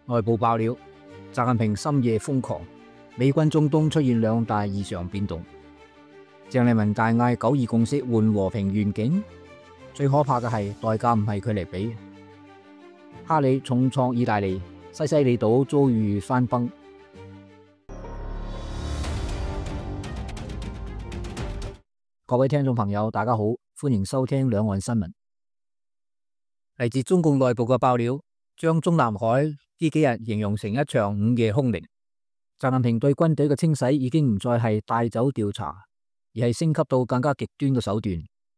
內部爆料，習近平深夜瘋狂，美軍中東出現兩大異常變動。鄭麗文大嗌九二共識換和平願景，最可怕嘅係代價唔係佢嚟俾。哈里重創意大利，西西里島遭遇山崩。各位聽眾朋友，大家好，歡迎收聽兩岸新聞。嚟自中共內部嘅爆料，將中南海呢幾日形容成一場午夜凶鈴。習近平對軍隊嘅清洗已經唔再係帶走調查，而係升級到更加極端嘅手段。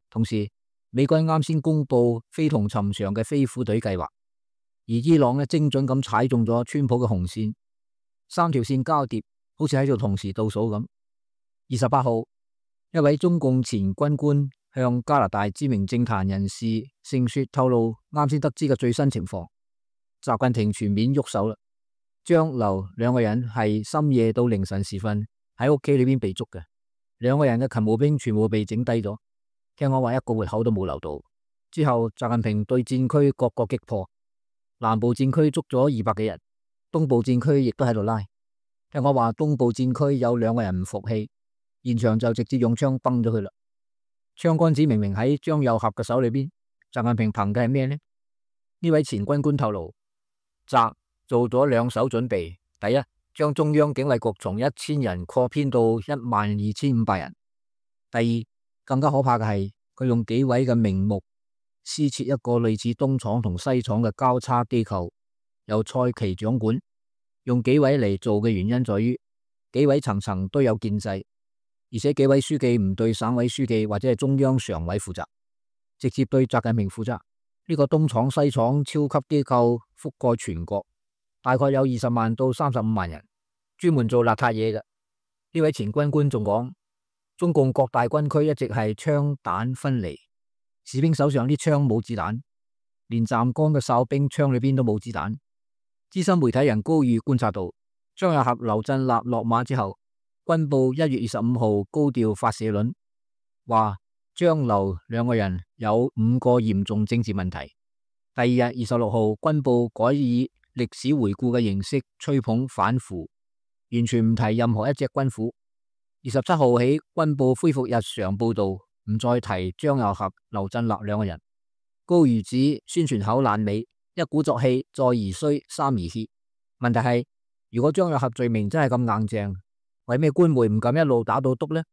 同時，美軍啱先公布非同尋常嘅飛虎隊計劃，而伊朗呢精準咁踩中咗川普嘅紅線，三條線交疊，好似喺度同時倒數咁。28號，一位中共前軍官向加拿大知名政壇人士盛雪透露啱先得知嘅最新情況。習近平全面喐手啦，張劉兩個人係深夜到凌晨時分喺屋企裏邊被捉嘅，兩個人嘅勤務兵全部被整低咗，聽講話一個活口都冇留到。之後習近平對戰區各個擊破，南部戰區捉咗200幾人，東部戰區亦都喺度拉。聽講話東部戰區有2個人唔服氣，現場就直接用槍崩咗佢啦。槍桿子明明喺張又俠嘅手裏邊，習近平憑嘅係咩呢？呢位前軍官透露，習做咗2手準備，第一，將中央警衛局從1000人擴編到12500人；第二，更加可怕嘅係佢用紀委嘅名目施設一個類似東廠同西廠嘅交叉機構，由蔡奇掌管。用紀委嚟做嘅原因在於，紀委層層都有建制，而且紀委書記唔對省委書記或者係中央常委負責，直接對習近平負責。呢個東廠西廠超級機構覆蓋全國，大概有20萬到35萬人，專門做邋遢嘢嘅。呢位前軍官仲講，中共各大軍區一直係槍彈分離，士兵手上啲槍冇子彈，連站崗嘅哨兵槍裏邊都冇子彈。資深媒體人高宇觀察到，張又俠、劉振立落馬之後，軍報1月25號高調發社論，話張劉兩個人有5個嚴重政治問題。第二日26號，軍報改以歷史回顧嘅形式吹捧反腐，完全唔提任何一隻軍虎。27號起，軍報恢復日常報道，唔再提張又俠、劉振立兩個人。高瑜指宣傳口爛尾，一鼓作氣，再而衰，三而竭。問題係，如果張又俠罪名真係咁硬淨，為咩官媒唔敢一路打到篤呢？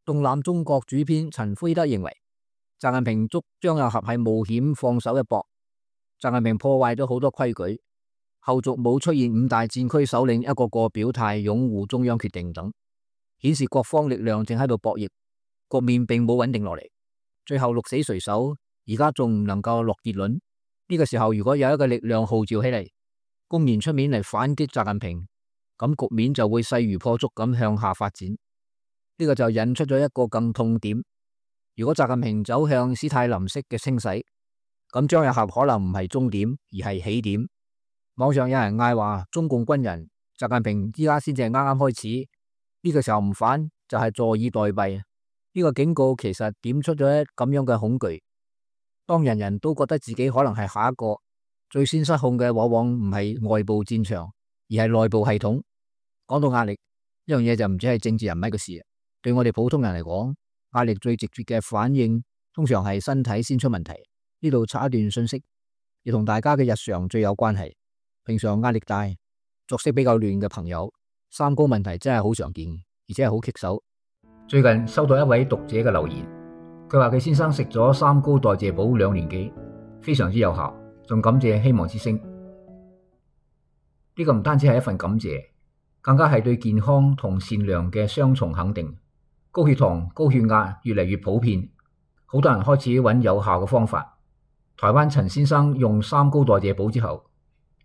動覽中國主編陳輝德認為，習近平捉張又俠係冒險放手一搏。習近平破壞咗好多規矩，後續冇出現5大戰區首領一個個表態擁護中央決定等，顯示各方力量正喺度博弈，局面並冇穩定落嚟。最後鹿死誰手，而家仲唔能夠落結論。呢個時候如果有一個力量號召起嚟，公然出面嚟反擊習近平，咁局面就會勢如破竹咁向下發展。呢個就引出咗一個更痛點，如果習近平走向史泰林式嘅清洗，咁張又俠可能唔係終點，而係起點。網上有人嗌話，中共軍人習近平依家先至係啱啱開始，呢個時候唔反就係坐以待斃。呢個警告其實點出咗咁樣嘅恐懼。當人人都覺得自己可能係下一個，最先失控嘅往往唔係外部戰場，而係內部系統。講到壓力，呢樣嘢就唔止係政治人物嘅事。對我哋普通人嚟講，壓力最直接嘅反應通常係身體先出問題。呢度插一段信息，亦同大家嘅日常最有關係。平常壓力大、作息比較亂嘅朋友，三高問題真係好常見，而且係好棘手。最近收到一位讀者嘅留言，佢話佢先生食咗3高代謝補2年幾，非常之有效，仲感謝希望之聲。呢個唔單止係一份感謝，更加係對健康同善良嘅雙重肯定。高血糖、高血壓越嚟越普遍，好多人開始揾有效嘅方法。台灣陳先生用3高代謝補之後，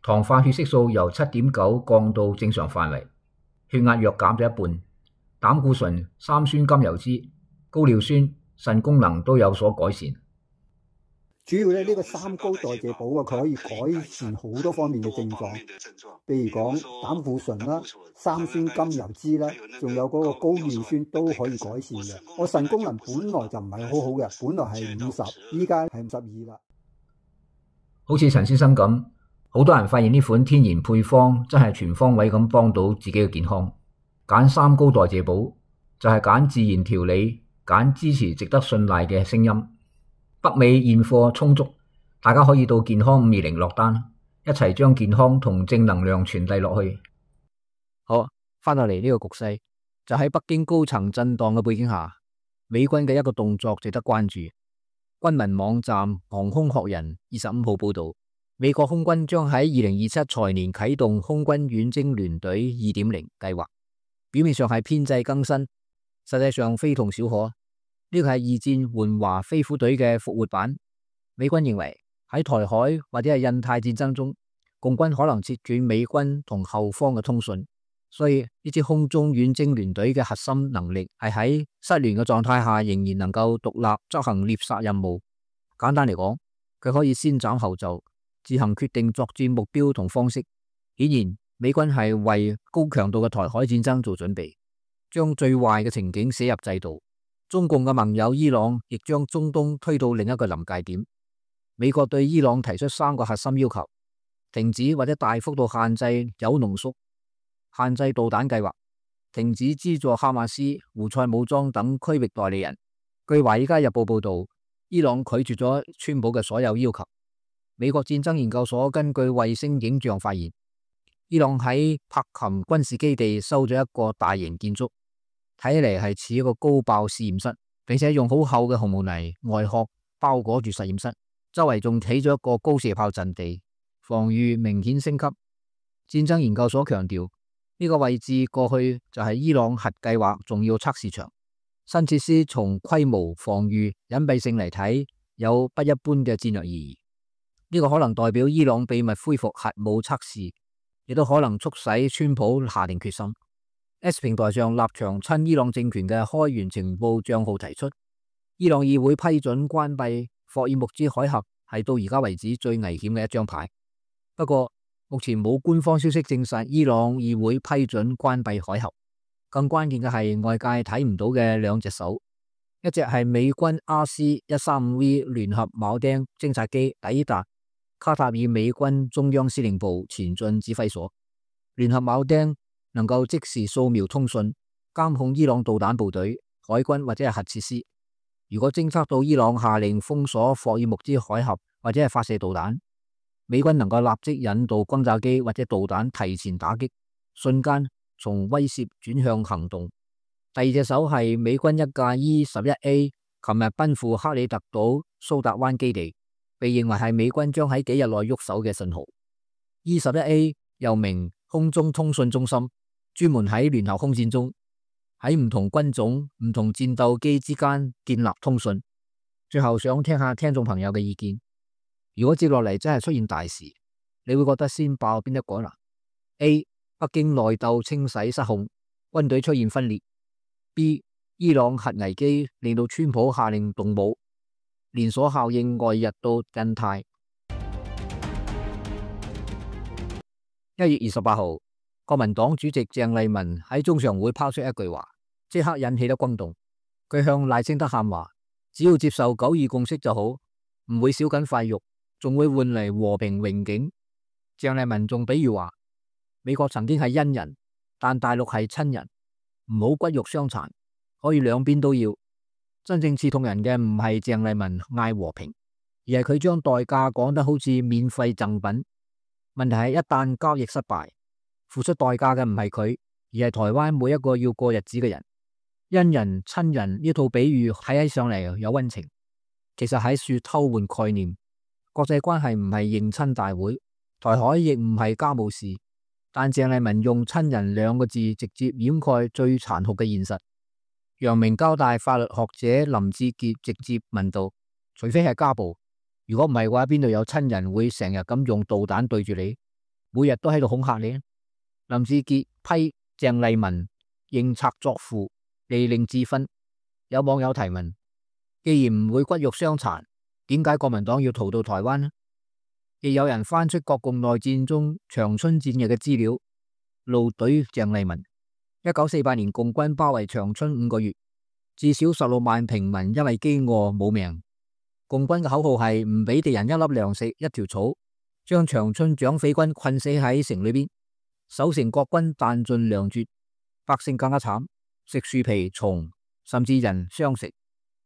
糖化血色素由7.9降到正常範圍，血壓約減咗一半，膽固醇、三酸甘油酯、高尿酸、腎功能都有所改善。主要呢個3高代謝補佢可以改善好多方面嘅症狀，譬如講膽固醇啦、三酸甘油酯啦，仲有嗰個高尿酸都可以改善嘅。我腎功能本來就唔係好好嘅，本來係50，依家係52啦。好似陳先生咁，好多人發現呢款天然配方真係全方位咁幫到自己嘅健康。揀三高代謝寶就係揀自然調理，揀支持值得信賴嘅聲音。北美現貨充足，大家可以到健康520落單，一齊將健康同正能量傳遞落去。好，翻到嚟呢個局勢，就喺北京高層震盪嘅背景下，美軍嘅一個動作值得關注。軍民網站航空學人25號報道，美國空軍將喺2027財年啟動空軍遠征聯隊2.0計劃，表面上係編制更新，實際上非同小可。呢個係二戰援華飛虎隊嘅復活版。美軍認為喺台海或者係印太戰爭中，共軍可能切斷美軍同後方嘅通訊，所以呢支空中遠征聯隊嘅核心能力係喺失聯嘅狀態下仍然能夠獨立執行獵殺任務。簡單嚟講，佢可以先斬後奏，自行決定作戰目標同方式。顯然，美軍係為高強度嘅台海戰爭做準備，將最壞嘅情景寫入制度。中共嘅盟友伊朗亦將中東推到另一個臨界點。美國對伊朗提出3個核心要求：停止或者大幅度限制鈾濃縮、限制導彈計劃、停止資助哈馬斯、胡塞武裝等區域代理人。據《華爾街日報》報道，伊朗拒絕咗川普嘅所有要求。美國戰爭研究所根據衛星影像發現，伊朗喺柏琴軍事基地修咗一個大型建築，睇起嚟係似一個高爆試驗室，並且用好厚嘅紅毛泥外殼包裹住實驗室，周圍仲起咗一個高射炮陣地，防禦明顯升級。戰爭研究所強調，呢個位置過去就係伊朗核計劃重要測試場。新設施從規模、防禦、隱蔽性嚟睇，有不一般嘅戰略意義。呢個可能代表伊朗秘密恢復核武測試，亦都可能促使川普下定決心。X 平台上立場親伊朗政權嘅開源情報賬號提出，伊朗議會批准關閉霍爾木茲海峽係到而家為止最危險嘅一張牌。不過目前冇官方消息證實伊朗議會批准關閉海峽。更關鍵嘅係外界睇唔到嘅2隻手，一隻係美軍 RC-135V 聯合鉚釘偵察機抵達卡塔爾美軍中央司令部前進指揮所。聯合鉚釘能夠即時掃描通訊，監控伊朗導彈部隊、海軍或者係核設施。如果偵測到伊朗下令封鎖霍爾木茲海峽或者係發射導彈，美軍能夠立即引導轟炸機或者導彈提前打擊，瞬間從威懾轉向行動。第2隻手係美軍一架 E-11A 琴日奔赴克里特島蘇達灣基地，被認為係美軍將喺幾日內喐手嘅信號。E-11A 又名空中通訊中心，專門喺聯合空戰中喺唔同軍種、唔同戰鬥機之間建立通訊。最後想聽下聽眾朋友嘅意見，如果接落嚟真係出現大事，你會覺得先爆邊一個呢？ A. 北京內鬥清洗失控，軍隊出現分裂。B. 伊朗核危機令到川普下令動武，連鎖效應外溢到印太。1月28號，國民黨主席鄭麗文喺中常會拋出一句話，即刻引起咗轟動。佢向賴清德喊話，只要接受9·2共識就好，唔會少緊塊肉，仲會換嚟和平榮景。鄭麗文仲比喻話，美國曾經係恩人，但大陸係親人，唔好骨肉相殘，可以兩邊都要。真正刺痛人嘅唔係鄭麗文嗌和平，而係佢將代價講得好似免費贈品。問題係一旦交易失敗，付出代價嘅唔係佢，而係台灣每一個要過日子嘅人。恩人親人呢套比喻睇起上嚟有溫情，其實喺處偷換概念。國際關係唔係認親大會，台海亦唔係家務事，但鄭麗文用親人2個字直接掩蓋最殘酷嘅現實。陽明交大法律學者林志傑直接問道，除非係家暴，如果唔係嘅話，邊度有親人會成日咁用導彈對住你，每日都喺度恐嚇你？林志傑批鄭麗文認賊作父，利令智分。有網友提問，既然唔會骨肉相殘，點解國民黨要逃到台灣呢？亦有人翻出國共內戰中長春戰役嘅資料，怒懟鄭麗文。1948年共軍包圍長春5個月，至少16萬平民因為飢餓冇命。共軍嘅口號係唔俾敵人一粒糧食、一條草，將長春蔣匪軍困死喺城裏邊，守城國軍彈盡糧絕，百姓更加慘，食樹皮蟲，甚至人相食。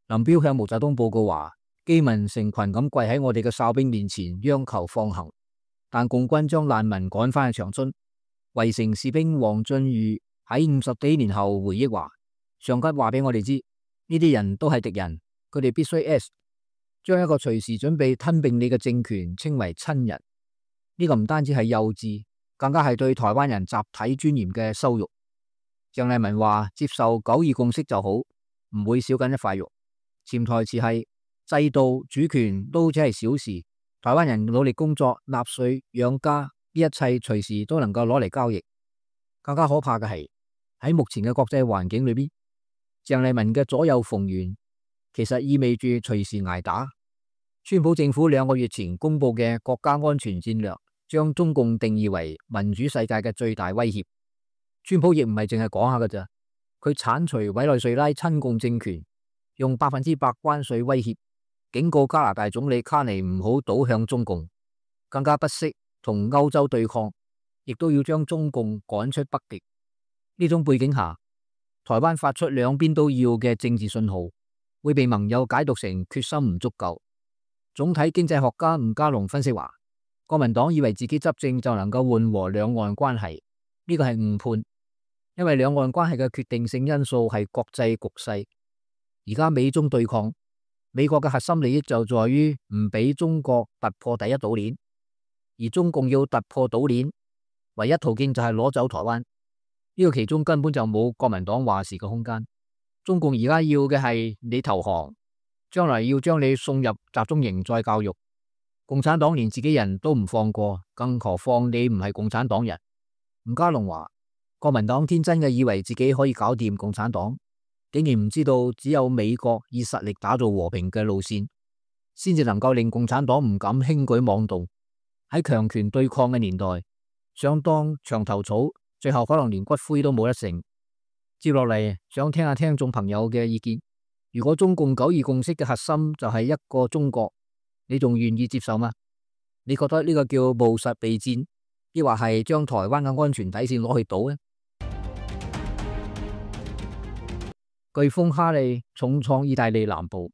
林彪向毛澤東報告話，飢民成群咁跪喺我哋嘅哨兵面前央求放行，但共軍將難民趕返去長春。圍城士兵黃俊瑜喺50幾年後回憶話，上級話俾我哋知，呢啲人都係敵人，佢哋必須 S， 將一個隨時準備吞併你嘅政權稱為親人。呢個唔單止係幼稚，更加係對台灣人集體尊嚴嘅羞辱。鄭麗文話，接受9·2共識就好，唔會少緊一塊肉。潛台詞係制度、主權都只係小事，台灣人努力工作、納稅、養家，呢一切隨時都能夠攞嚟交易。更加可怕嘅係喺目前嘅國際環境裏邊，鄭麗文嘅左右逢源，其實意味住隨時挨打。川普政府2個月前公布嘅國家安全戰略，將中共定義為民主世界嘅最大威脅。川普亦唔係淨係講下㗎咋，佢鏟除委內瑞拉親共政權，用100%關稅威脅，警告加拿大總理卡尼唔好倒向中共，更加不惜同歐洲對抗，亦都要將中共趕出北極。呢種背景下，台灣發出兩邊都要嘅政治信號，會被盟友解讀成決心唔足夠。總體經濟學家吳家龍分析話，國民黨以為自己執政就能夠緩和兩岸關係，呢個係誤判，因為兩岸關係嘅決定性因素係國際局勢。而家美中對抗，美國嘅核心利益就在於唔俾中國突破第一島鏈，而中共要突破島鏈，唯一途徑就係攞走台灣。呢個其中根本就冇國民黨話事嘅空間。中共而家要嘅係你投降，將來要將你送入集中營再教育。共產黨連自己人都唔放過，更何況你唔係共產黨人。吳家龍話，國民黨天真嘅以為自己可以搞掂共產黨，竟然唔知道只有美國以實力打造和平嘅路線，先至能夠令共產黨唔敢輕舉妄動。喺強權對抗嘅年代，想當牆頭草，最後可能連骨灰都冇得剩。接落嚟想聽下聽眾朋友嘅意見，如果中共9·2共識嘅核心就係一個中國，你仲願意接受嗎？你覺得呢個叫務實備戰，抑或係將台灣嘅安全底線攞去賭呢？颶風哈利重創意大利南部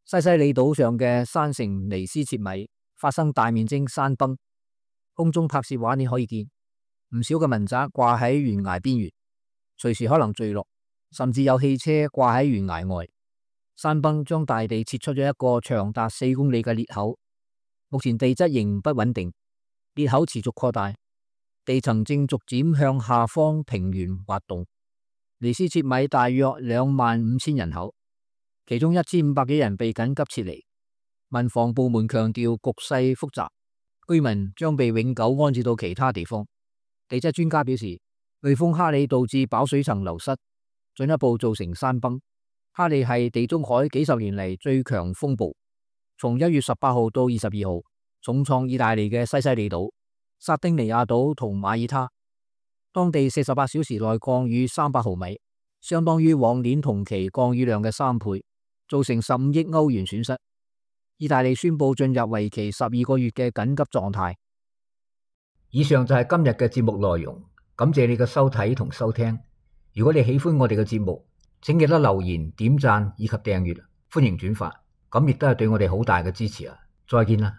西西里島上嘅山城尼斯切米發生大面積山崩，空中拍攝畫面可以見唔少嘅民宅掛喺懸崖邊緣，隨時可能墜落，甚至有汽車掛喺懸崖外。山崩將大地切出咗一個長達4公里嘅裂口，目前地質仍不穩定，裂口持續擴大，地層正逐漸向下方平原滑動。尼斯切米大約25000人口，其中1500幾人被緊急撤離。民防部門強調局勢複雜，居民將被永久安置到其他地方。地質專家表示，颶風哈利導致飽水層流失，進一步造成山崩。哈利係地中海幾十年嚟最強風暴，從1月18號到22號，重創意大利嘅西西里島、薩丁尼亞島同馬耳他，當地48小時內降雨300毫米，相當於往年同期降雨量嘅3倍，造成15億歐元損失。意大利宣布進入為期12個月嘅緊急狀態。以上就係今日嘅節目內容，感謝你嘅收睇同收聽。如果你喜歡我哋嘅節目，請記得留言、點讚以及訂閱，歡迎轉發，咁亦都係對我哋好大嘅支持啊！再見啦。